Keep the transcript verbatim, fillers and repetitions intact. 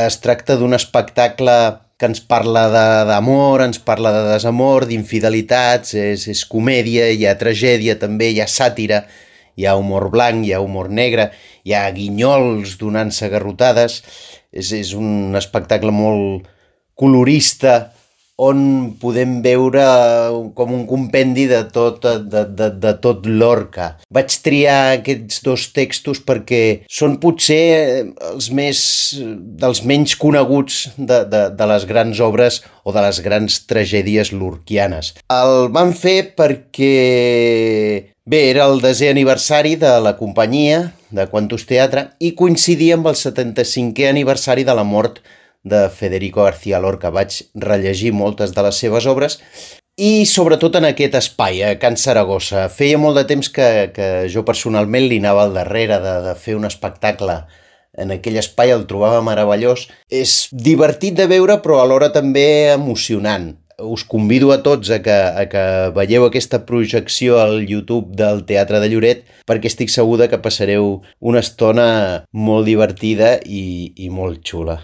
Es tracta d'un espectacle que ens parla de- d'amor, ens parla de desamor, d'infidelitats, és, és comèdia, hi ha tragèdia també, hi ha sàtira, hi ha humor blanc, hi ha humor negre, hi ha guinyols donant-se garrotades. És, és un espectacle molt colorista on podem veure com un compendi de tot, de, de, de tot Lorca. Vaig triar aquests dos textos perquè són potser els més, dels menys coneguts de, de, de les grans obres o de les grans tragèdies lorquianes. El van fer perquè, bé, era el desè aniversari de la companyia de Quantus Teatre i coincidia amb el setanta-cinquè aniversari de la mort de Federico García Lorca. Vaig rellegir moltes de les seves obres i sobretot en aquest espai, a Can Saragossa. Feia molt de temps que, que jo personalment li anava al darrere de, de fer un espectacle en aquell espai, el trobava meravellós. És divertit de veure però alhora també emocionant. Us convido a tots a que, a que veieu aquesta projecció al YouTube del Teatre de Lloret perquè estic segur que passareu una estona molt divertida i, i molt xula.